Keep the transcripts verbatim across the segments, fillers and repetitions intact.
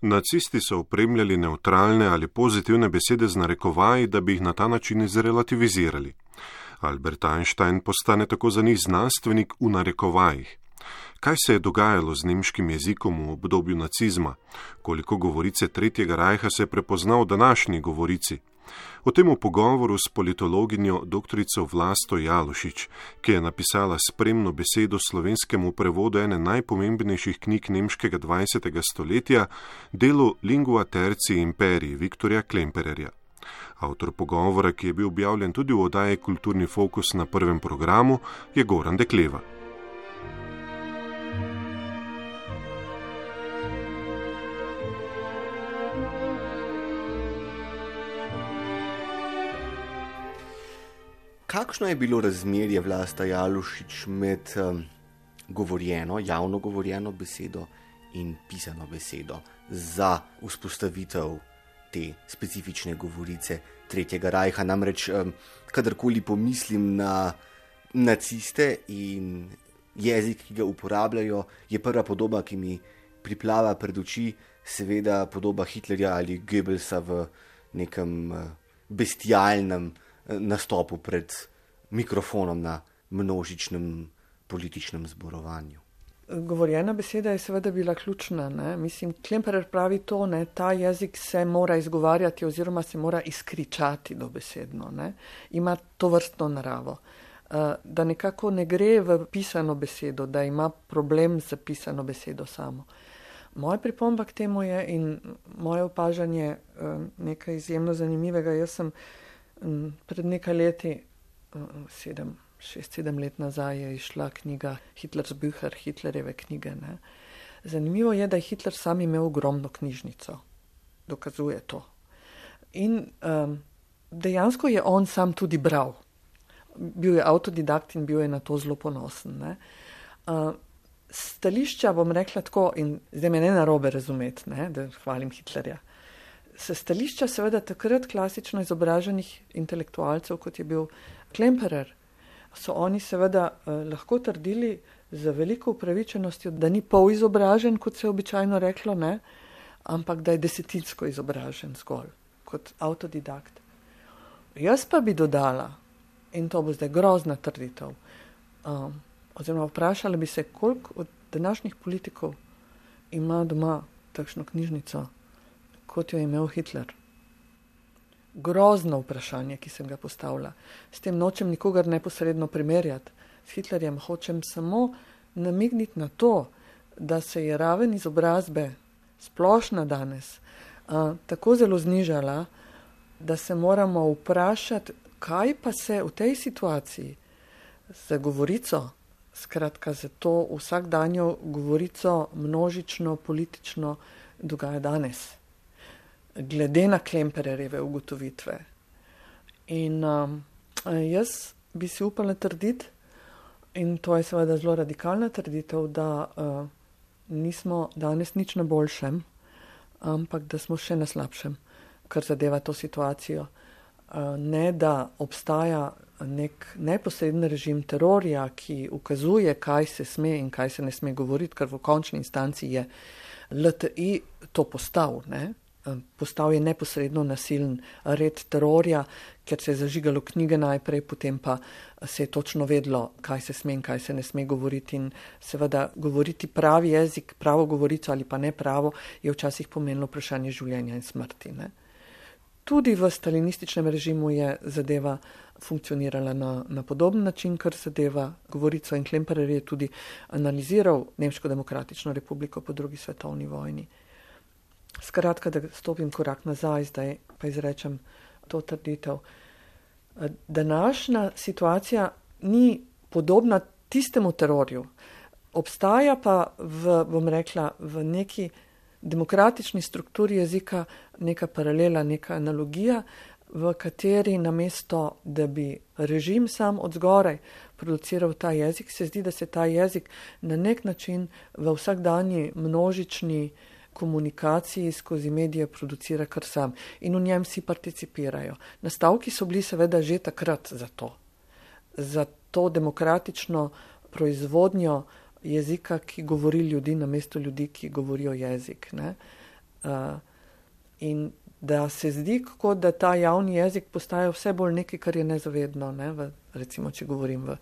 Nacisti so opremljali nevtralne ali pozitivne besede z narekovaji, da bi jih na ta način zrelativizirali. Albert Einstein postane tako za njih znanstvenik v narekovajih. Kaj se je dogajalo z nemškim jezikom v obdobju nacizma? Koliko govorice Tretjega rajha se je prepoznal v današnji govorici? O tem v pogovoru s politologinjo doktorico Vlasto Jalušič, ki je napisala spremno besedo slovenskemu prevodu ene najpomembnejših knjig nemškega dvajsetega stoletja, delu Lingua tertii imperii Viktorja Klempererja. Avtor pogovora, ki je bil objavljen tudi v oddaji Kulturni fokus na prvem programu, je Goran Dekleva. Kakšno je bilo razmerje, Vlasta Jalušič, med um, govorjeno, javno govorjeno besedo in pisano besedo za vzpostavitev te specifične govorice Tretjega rajha? Namreč, um, kadarkoli pomislim na naciste in jezik, ki ga uporabljajo, je prva podoba, ki mi priplava pred oči, seveda podoba Hitlerja ali Goebbelsa v nekem uh, bestialnem nastopu pred mikrofonom na množičnem političnem zborovanju. Govorjena beseda je seveda bila ključna. Ne? Mislim, Klemperer pravi to, ne? Ta jezik se mora izgovarjati oziroma se mora izkričati dobesedno. Ne? Ima to vrstno naravo. Da nekako ne gre v pisano besedo, da ima problem z pisano besedo samo. Moja pripomba k temu je in moje opažanje nekaj izjemno zanimivega. Jaz sem pred nekaj leti, sedem, šest, sedem let nazaj, je išla knjiga Hitlers Bücher, Hitlerjeve knjige. Ne. Zanimivo je, da je Hitler sam imel ogromno knjižnico. Dokazuje to. In um, dejansko je on sam tudi bral. Bil je avtodidakt in bil je na to zelo ponosen. Ne. Uh, stališča, bom rekla tako, in zdaj me ne narobe razumeti, ne, da hvalim Hitlerja. Se stališča seveda takrat klasično izobraženih intelektualcev, kot je bil Klemperer, so oni seveda eh, lahko trdili z veliko upravičenostjo, da ni pol izobražen, kot se je običajno reklo, ne, ampak da je desetinsko izobražen zgolj, kot avtodidakt. Jaz pa bi dodala, in to bo zdaj grozna trditev, um, oziroma vprašala bi se, koliko od današnjih politikov ima doma takšno knjižnico, kot jo je imel Hitler. Grozno vprašanje, ki sem ga postavila. S tem nočem nikogar neposredno primerjati. S Hitlerjem hočem samo namigniti na to, da se je raven izobrazbe splošna danes a, tako zelo znižala, da se moramo vprašati, kaj pa se v tej situaciji za govorico, skratka za to vsakdanjo govorico množično, politično dogaja danes. Glede na Klempererjeve ugotovitve. In um, jaz bi si upala trditi, in to je seveda zelo radikalna trditev, da uh, nismo danes nič na boljšem, ampak da smo še na slabšem, kar zadeva to situacijo. Uh, ne, da obstaja nek neposreden režim terorja, ki ukazuje, kaj se sme in kaj se ne sme govoriti, ker v končni instanci je L T I to postal, ne? Postal je neposredno nasilen red terorja, ker se je zažigalo knjige najprej, potem pa se je točno vedlo, kaj se sme in kaj se ne sme govoriti. In seveda govoriti pravi jezik, pravo govorico ali pa ne pravo, je včasih pomenilo vprašanje življenja in smrti. Ne? Tudi v stalinističnem režimu je zadeva funkcionirala na, na podoben način, kar zadeva govorico, in Klemperer je tudi analiziral Nemško demokratično republiko po drugi svetovni vojni. Skratka, da stopim korak nazaj, zdaj pa izrečem to trditev. Današnja situacija ni podobna tistemu terorju. Obstaja pa v, bom rekla, v neki demokratični strukturi jezika neka paralela, neka analogija, v kateri namesto, da bi režim sam od zgoraj produciral ta jezik, se zdi, da se ta jezik na nek način v vsakdanji množični komunikaciji skozi medije producira kar sam in v njem vsi participirajo. Nastavki so bili seveda že takrat za to, za to demokratično proizvodnjo jezika, ki govori ljudi namesto ljudi, ki govorijo jezik. Ne? Uh, in da se zdi, kako da ta javni jezik postaja vse bolj nekaj, kar je nezavedno, ne, v, recimo, če govorim v,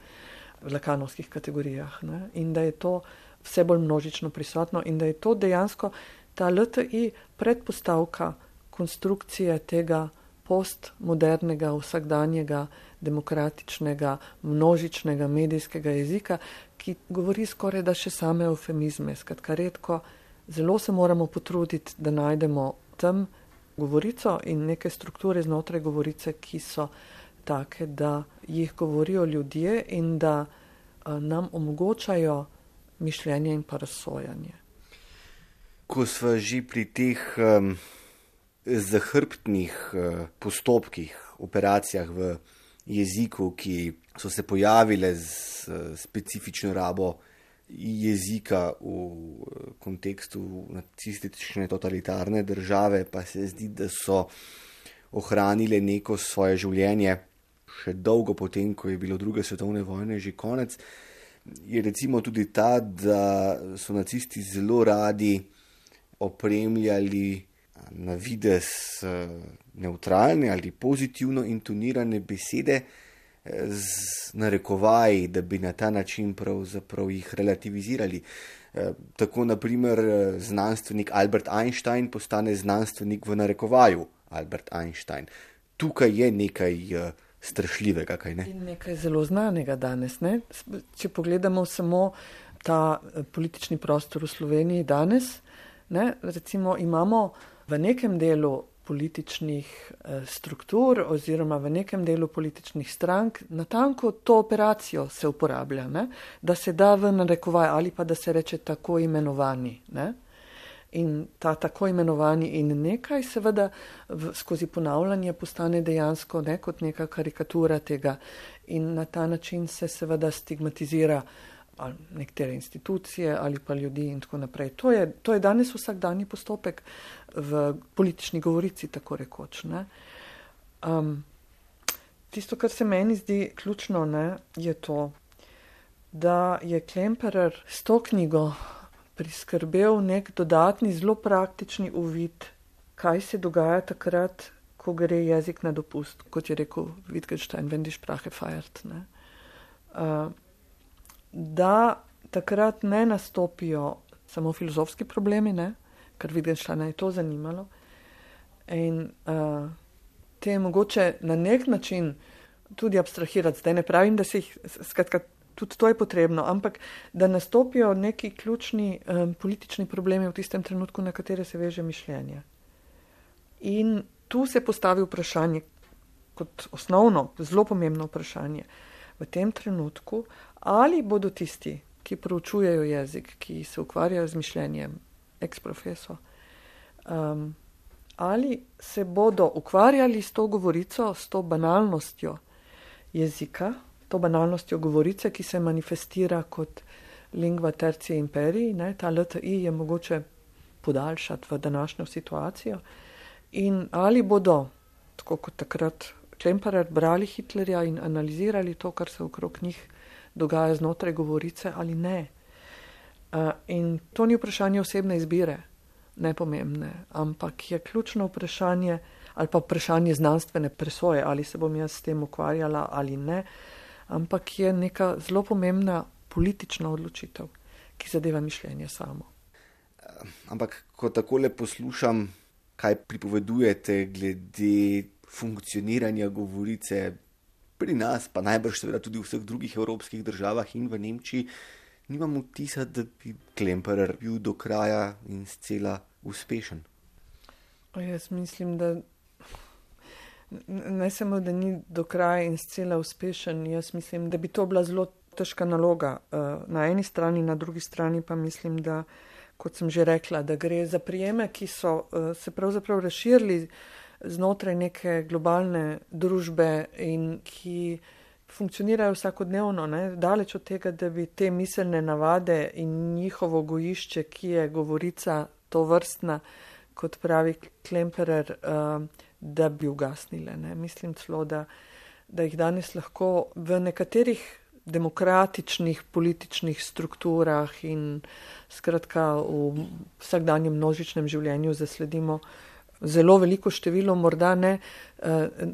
v lakanovskih kategorijah, ne, in da je to vse bolj množično prisotno in da je to dejansko ta L T I predpostavka konstrukcije tega postmodernega, vsakdanjega, demokratičnega, množičnega medijskega jezika, ki govori skoraj da še same eufemizme. Skratka, redko, zelo se moramo potruditi, da najdemo tam govorico in neke strukture znotraj govorice, ki so take, da jih govorijo ljudje in da a, nam omogočajo mišljenje in pa razsojanje. Ko sva že pri teh um, zahrbtnih uh, postopkih, operacijah v jeziku, ki so se pojavile z uh, specifično rabo jezika v kontekstu nacistične totalitarne države, pa se zdi, da so ohranile neko svoje življenje še dolgo potem, ko je bilo druge svetovne vojne že konec, je recimo tudi ta, da so nacisti zelo radi opremljali na videz neutralne ali pozitivno intonirane besede z narekovaji, da bi na ta način pravzaprav jih relativizirali. Tako naprimer znanstvenik Albert Einstein postane znanstvenik v narekovaju Albert Einstein. Tukaj je nekaj strašljivega, kaj ne? In nekaj zelo znanega danes, ne? Če pogledamo samo ta politični prostor v Sloveniji danes, ne? Recimo imamo v nekem delu političnih eh, struktur oziroma v nekem delu političnih strank natanko to operacijo se uporablja, ne? Da se da v narekovaj ali pa da se reče tako imenovani. Ne? In ta tako imenovani in nekaj seveda v, skozi ponavljanje postane dejansko ne, kot neka karikatura tega in na ta način se seveda stigmatizira ali nekatere institucije ali pa ljudi in tako naprej. To je, to je danes vsakdanji postopek v politični govorici, tako rekoč. Ne. Um, tisto, kar se meni zdi ključno, ne, je to, da je Klemperer s to knjigo priskrbel nek dodatni, zelo praktični uvid, kaj se dogaja takrat, ko gre jezik na dopust, kot je rekel Wittgenstein, wenn die Sprache feiert. Ne. Uh, da takrat ne nastopijo samo filozofski problemi, ne, ker Wittgensteina je to zanimalo. In uh, te je mogoče na nek način tudi abstrahirati. Zdaj ne pravim, da se jih, skratka, tudi to je potrebno, ampak da nastopijo neki ključni um, politični problemi v tistem trenutku, na katere se veže mišljenje. In tu se postavi vprašanje, kot osnovno, zelo pomembno vprašanje, v tem trenutku, ali bodo tisti, ki proučujejo jezik, ki se ukvarjajo z mišljenjem, ex-profesor, um, ali se bodo ukvarjali s to govorico, s to banalnostjo jezika, to banalnostjo govorice, ki se manifestira kot lingua tertii imperii, ne, ta L T I je mogoče podaljšati v današnjo situacijo, in ali bodo, tako kot takrat Klemperer, brali Hitlerja in analizirali to, kar se okrog njih dogaja znotraj govorice, ali ne. Uh, in to ni vprašanje osebne izbire, nepomembne, ampak je ključno vprašanje, ali pa vprašanje znanstvene presoje, ali se bom jaz s tem ukvarjala ali ne, ampak je neka zelo pomembna politična odločitev, ki zadeva mišljenje samo. Ampak, ko takole poslušam, kaj pripovedujete glede funkcioniranja govorice pri nas, pa najbrž seveda tudi v vseh drugih evropskih državah in v Nemčiji, nimam vtisa, da bi Klemperer bil do kraja in scela uspešen. O, jaz mislim, da ne samo, da ni do kraja in scela uspešen, jaz mislim, da bi to bila zelo težka naloga. Na eni strani, na drugi strani pa mislim, da, kot sem že rekla, da gre za prijeme, ki so se pravzaprav razširili znotraj neke globalne družbe in ki funkcionirajo vsakodnevno, ne? Daleč od tega, da bi te miselne navade in njihovo gojišče, ki je govorica to vrstna, kot pravi Klemperer, da bi ugasnile. Ne? Mislim celo, da, da jih danes lahko v nekaterih demokratičnih političnih strukturah in skratka v vsakdanjem množičnem življenju zasledimo zelo veliko število, morda ne,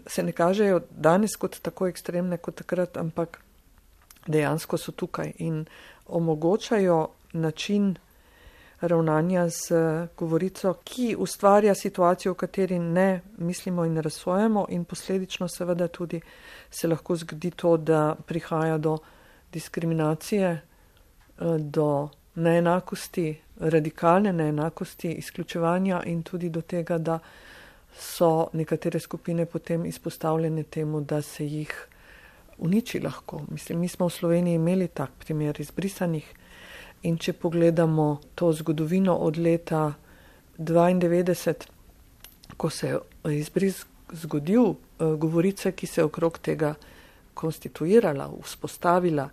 se ne kažejo danes kot tako ekstremne kot takrat, ampak dejansko so tukaj in omogočajo način ravnanja z govorico, ki ustvarja situacijo, v kateri ne mislimo in razsojamo in posledično seveda tudi se lahko zgodi to, da prihaja do diskriminacije, do neenakosti, radikalne neenakosti, izključevanja in tudi do tega, da so nekatere skupine potem izpostavljene temu, da se jih uniči lahko. Mislim, mi smo v Sloveniji imeli tak primer izbrisanih in če pogledamo to zgodovino od leta dvaindevetdeset, ko se je izbris zgodil, govorice, ki se je okrog tega konstituirala, vzpostavila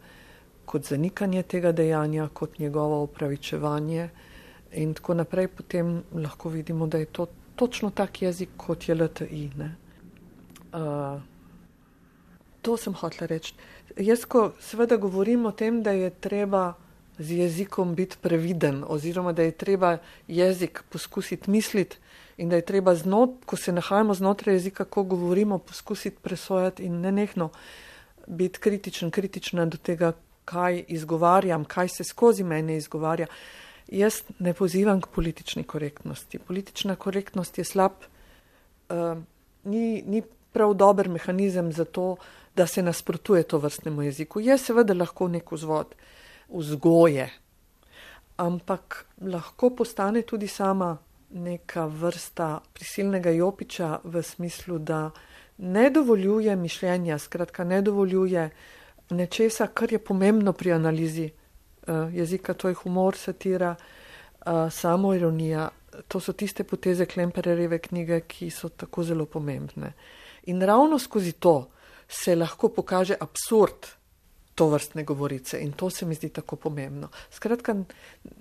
kot zanikanje tega dejanja, kot njegovo opravičevanje in tako naprej, potem lahko vidimo, da je to točno tak jezik, kot je L T I. Ne? Uh, to sem hotela reči. Jaz, ko seveda govorim o tem, da je treba z jezikom biti previden oziroma da je treba jezik poskusiti misliti in da je treba, znot, ko se nahajamo znotraj jezika, ko govorimo, poskusiti presojati in nenehno biti kritičen, kritična do tega, kaj izgovarjam, kaj se skozi mene izgovarja. Jaz ne pozivam k politični korektnosti. Politična korektnost je slab, uh, ni, ni prav dober mehanizem za to, da se nasprotuje to vrstnemu jeziku. Je seveda lahko nek vzvod vzgoje, ampak lahko postane tudi sama neka vrsta prisilnega jopiča v smislu, da ne dovoljuje mišljenja, skratka ne dovoljuje nečesa, kar je pomembno pri analizi uh, jezika, to je humor, satira, uh, samoironija. To so tiste poteze Klempererjeve knjige, ki so tako zelo pomembne. In ravno skozi to se lahko pokaže absurd to vrstne govorice in to se mi zdi tako pomembno. Skratka,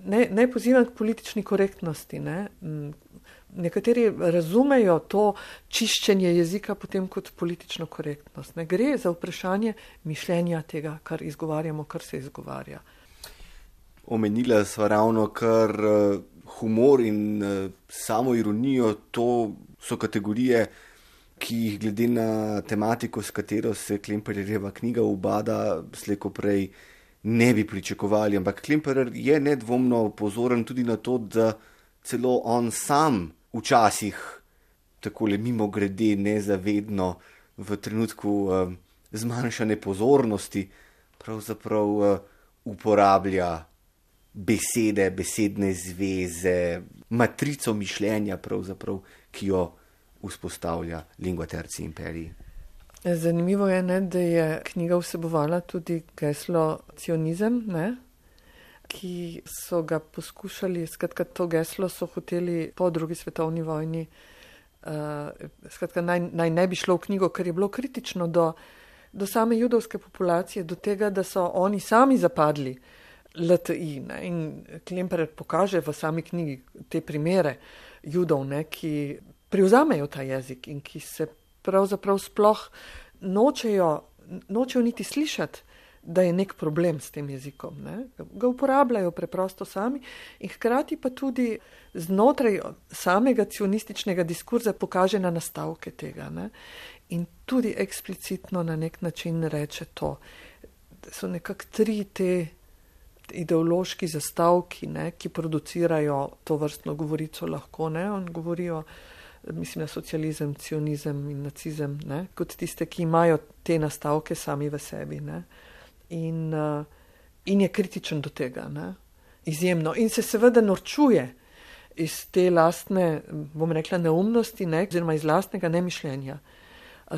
ne, ne pozivam k politični korektnosti. Ne? Nekateri razumejo to čiščenje jezika potem kot politično korektnost. Ne gre za vprašanje mišljenja tega, kar izgovarjamo, kar se izgovarja. Omenila sva ravno kar uh, humor in uh, samo ironijo, to so kategorije, ki jih glede na tematiko, s katero se Klempererjeva knjiga ubada, slejko prej ne bi pričakovali. Ampak Klemperer je nedvomno pozoren tudi na to, da celo on sam včasih takole mimogrede nezavedno v trenutku uh, zmanjšane pozornosti pravzaprav uh, uporablja besede, besedne zveze, matrico mišljenja pravzaprav, ki jo vzpostavlja Lingua Tertii Imperii. Zanimivo je, ne, da je knjiga vsebovala tudi geslo cionizem, ne, ki so ga poskušali, skratka to geslo so hoteli po drugi svetovni vojni, uh, skratka naj, naj ne bi šlo v knjigo, ker je bilo kritično do, do same judovske populacije, do tega, da so oni sami zapadli L T I. Ne, in Klemperer pokaže v sami knjigi te primere judov, ne, ki privzamejo ta jezik in ki se pravzaprav sploh nočejo, nočejo niti slišati, da je nek problem s tem jezikom. Ne? Ga uporabljajo preprosto sami in hkrati pa tudi znotraj samega cionističnega diskurza pokaže na nastavke tega. Ne? In tudi eksplicitno na nek način reče to. So nekako tri te ideološki zastavki, ne, ki producirajo to vrstno govorico lahko. Ne? On govorijo, mislim na socializem, cionizem in nacizem, ne? Kot tiste, ki imajo te nastavke sami v sebi. Ne? In, uh, in je kritičen do tega, ne? Izjemno. In se seveda norčuje iz te lastne, bom rekla, neumnosti, ne? Oziroma iz lastnega nemišljenja.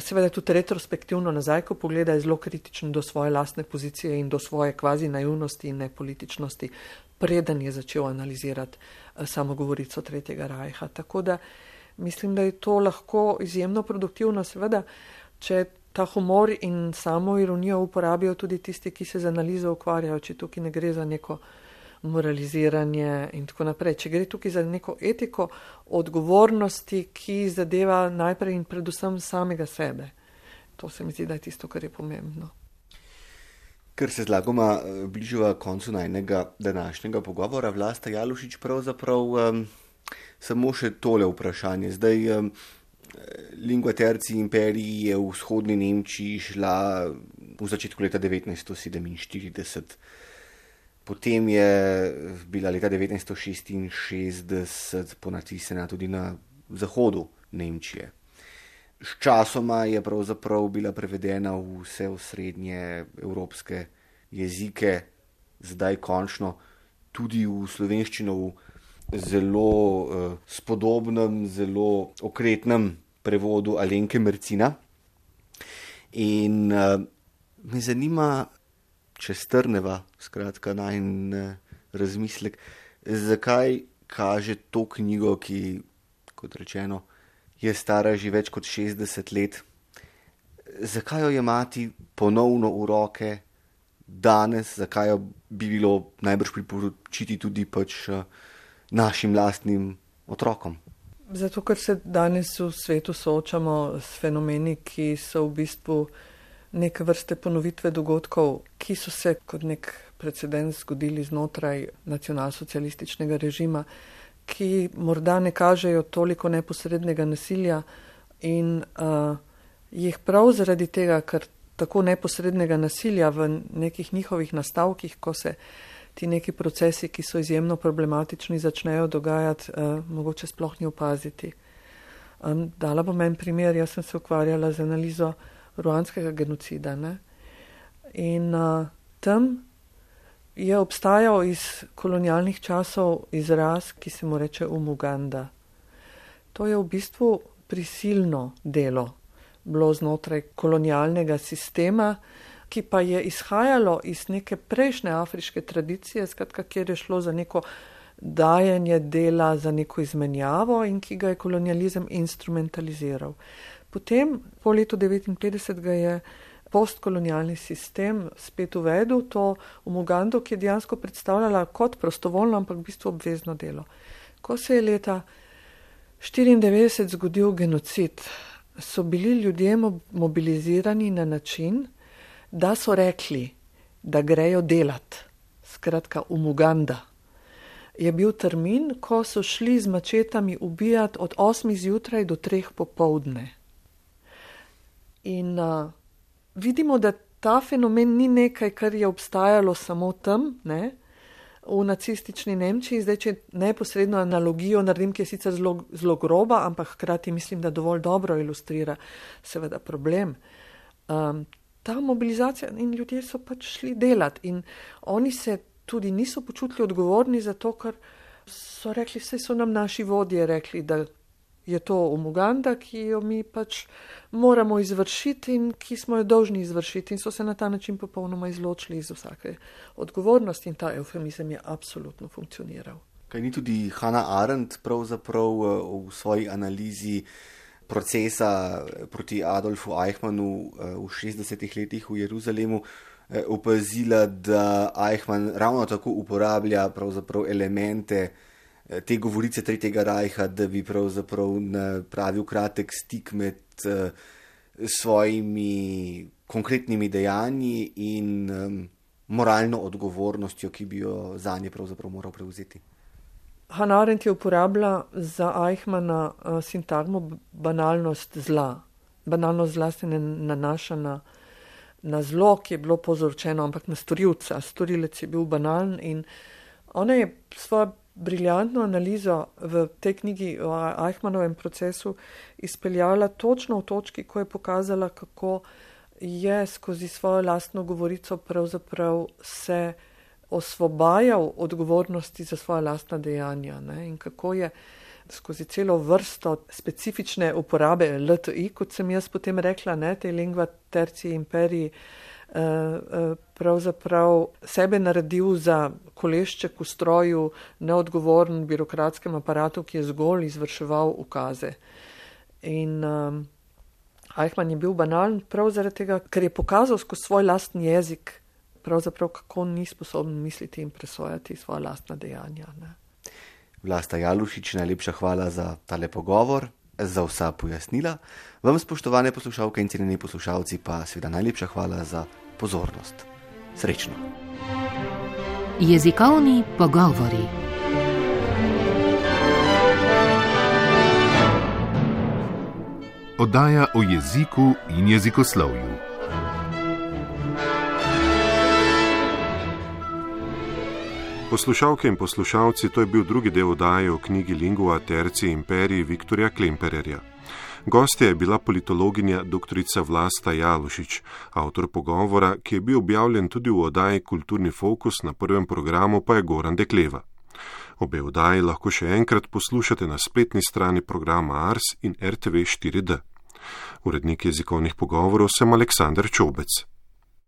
Seveda tudi retrospektivno nazaj, ko pogleda, je zelo kritičen do svoje lastne pozicije in do svoje kvazi naivnosti in nepolitičnosti, preden je začel analizirati samo govorico Tretjega rajha. Tako da mislim, da je to lahko izjemno produktivno, seveda, če ta humor in samo ironijo uporabijo tudi tisti, ki se z analizo ukvarjajo, če tukaj ne gre za neko moraliziranje in tako naprej. Če gre tukaj za neko etiko odgovornosti, ki zadeva najprej in predvsem samega sebe. To se mi zdi, da je tisto, kar je pomembno. Ker se zlagoma bližava koncu najnega današnjega pogovora, Vlasta Jalušič, pravzaprav um, samo še tole vprašanje. Zdaj, um, lingua terci imperiji je v vzhodni Nemčiji šla v začetku leta devetnajststo sedeminštirideset. Potem je bila leta devetnajststo šestinšestdeset ponatisnjena tudi na zahodu Nemčije. Sčasoma je pravzaprav bila prevedena v vse osrednje evropske jezike, zdaj končno tudi v slovenščino v zelo eh, spodobnem, zelo okretnem prevodu Alenke Mercina. In eh, me zanima, če strneva, skratka, najin eh, razmislek, zakaj kaže to knjigo, ki, kot rečeno, je stara že več kot šestdeset let. Zakaj jo jemati ponovno v roke danes, zakaj jo bi bilo najbrž priporočiti tudi pač našim lastnim otrokom? Zato, ker se danes v svetu soočamo s fenomeni, ki so v bistvu neke vrste ponovitve dogodkov, ki so se kot nek precedens zgodili znotraj nacionalsocialističnega režima, ki morda ne kažejo toliko neposrednega nasilja in uh, jih prav zaradi tega, ker tako neposrednega nasilja v nekih njihovih nastavkih, ko se ti neki procesi, ki so izjemno problematični, začnejo dogajati, uh, mogoče sploh ni opaziti. Um, dala bom en primer, jaz sem se ukvarjala z analizo ruandskega genocida, ne? In uh, tam je obstajal iz kolonialnih časov izraz, ki se mu reče umuganda. To je v bistvu prisilno delo bilo znotraj kolonialnega sistema, ki pa je izhajalo iz neke prejšnje afriške tradicije, skratka, kjer je šlo za neko dajanje dela, za neko izmenjavo in ki ga je kolonializem instrumentaliziral. Potem, po letu devetinpetdeset ga je postkolonialni sistem spet uvedel to umugando, ki je dejansko predstavljala kot prostovoljno, ampak v bistvu obvezno delo. Ko se je leta štiriindevetdeset zgodil genocid, so bili ljudje mobilizirani na način, da so rekli, da grejo delat. Skratka, umuganda je bil termin, ko so šli z mačetami ubijati od osmih zjutraj do treh popoldne. In uh, vidimo, da ta fenomen ni nekaj, kar je obstajalo samo tam, ne, v nacistični Nemčiji. Zdaj, če neposredno analogijo naredim, ki je sicer zelo, zelo groba, ampak hkrati mislim, da dovolj dobro ilustrira seveda problem. Um, ta mobilizacija in ljudje so pač šli delati in oni se tudi niso počutili odgovorni za to, ker so rekli, vse so nam naši vodje rekli, da je to umuganda, ki jo mi pač moramo izvršiti in ki smo jo dolžni izvršiti in so se na ta način popolnoma izločili iz vsake odgovornosti in ta eufemizem je absolutno funkcioniral. Kaj ni tudi Hannah Arendt pravzaprav v svoji analizi procesa proti Adolfu Eichmannu v šestdesetih letih v Jeruzalemu opazila, da Eichmann ravno tako uporablja pravzaprav elemente te govorice Tretjega rajha, da bi pravzaprav napravil kratek stik med uh, svojimi konkretnimi dejanji in um, moralno odgovornostjo, ki bi jo zanje pravzaprav moral prevzeti. Hannah Arendt je uporabila za Eichmanna uh, sintagmo banalnost zla. Banalnost zla se ne nanaša na, na zlo, ki je bilo povzročeno, ampak na storilca. Storilec je bil banalen in ona je svojo briljantno analizo v tej knjigi o Eichmannovem procesu izpeljala točno v točki, ko je pokazala, kako je skozi svojo lastno govorico pravzaprav se osvobajal odgovornosti za svoja lastna dejanja, ne? In kako je skozi celo vrsto specifične uporabe L T I, kot sem jaz potem rekla, ne, te lingua terci imperiji, pravzaprav sebe naredil za kolešček v stroju, neodgovoren birokratskem aparatu, ki je zgolj izvrševal ukaze. In um, Eichmann je bil banalen prav zaradi tega, ker je pokazal skozi svoj lastni jezik, pravzaprav kako ni sposoben misliti in presojati svoja lastna dejanja. Ne. Vlasta Jalušič, najlepša hvala za tale pogovor, za vsa pojasnila. Vam, spoštovane poslušalke in cenjeni poslušalci, pa seveda najlepša hvala za pozornost. Srečno. Jezikovni pogovori. Oddaja o jeziku in jezikoslovju. Poslušalke in poslušalci, to je bil drugi del oddaje o knjigi Lingua Tertii Imperii Viktorja Klempererja. Gostja je bila politologinja doktorica Vlasta Jalušič, avtor pogovora, ki je bil objavljen tudi v oddaji Kulturni fokus, na prvem programu pa je Goran Dekleva. Obe oddaji lahko še enkrat poslušate na spletni strani programa Ars in R T V štiri D. Urednik jezikovnih pogovorov sem Aleksander Čobec.